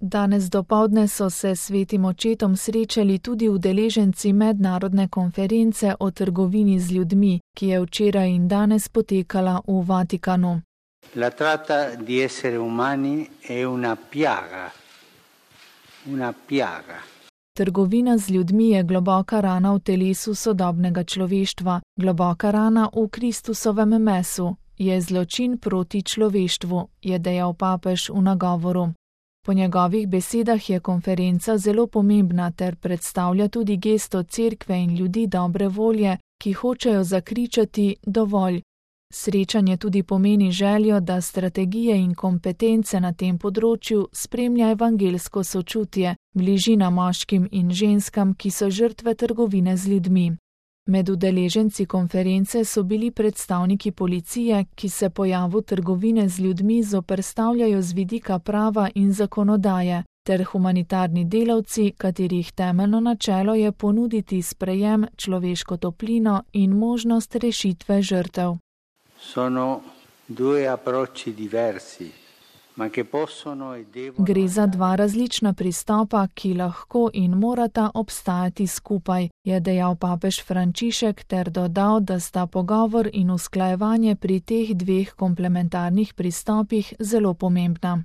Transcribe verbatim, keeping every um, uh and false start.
Danes dopoldne so se s svetim očetom srečali tudi udeleženci mednarodne konference o trgovini z ljudmi, ki je včeraj in danes potekala v Vatikanu. La tratta di esseri umani è una piaga. Una piaga. Trgovina z ljudmi je globoka rana v telesu sodobnega človeštva, globoka rana v Kristusovem mesu, je zločin proti človeštvu, je dejal papež v nagovoru. Po njegovih besedah je konferenca zelo pomembna ter predstavlja tudi gesto cerkve in ljudi dobre volje, ki hočejo zakričati dovolj. Srečanje tudi pomeni željo, da strategije in kompetence na tem področju spremlja evangelsko sočutje, bližina moškim in ženskam, ki so žrtve trgovine z ljudmi. Med udeleženci konference so bili predstavniki policije, ki se pojavu trgovine z ljudmi zoperstavljajo z vidika prava in zakonodaje, ter humanitarni delavci, katerih temeljno načelo je ponuditi sprejem, človeško toplino in možnost rešitve žrtev. Sono due approcci diversi, ma che possono e devono... Gre za dva različna pristopa, ki lahko in morata obstajati skupaj, je dejal papež Frančišek ter dodal, da sta pogovor in usklajevanje pri teh dveh komplementarnih pristopih zelo pomembna.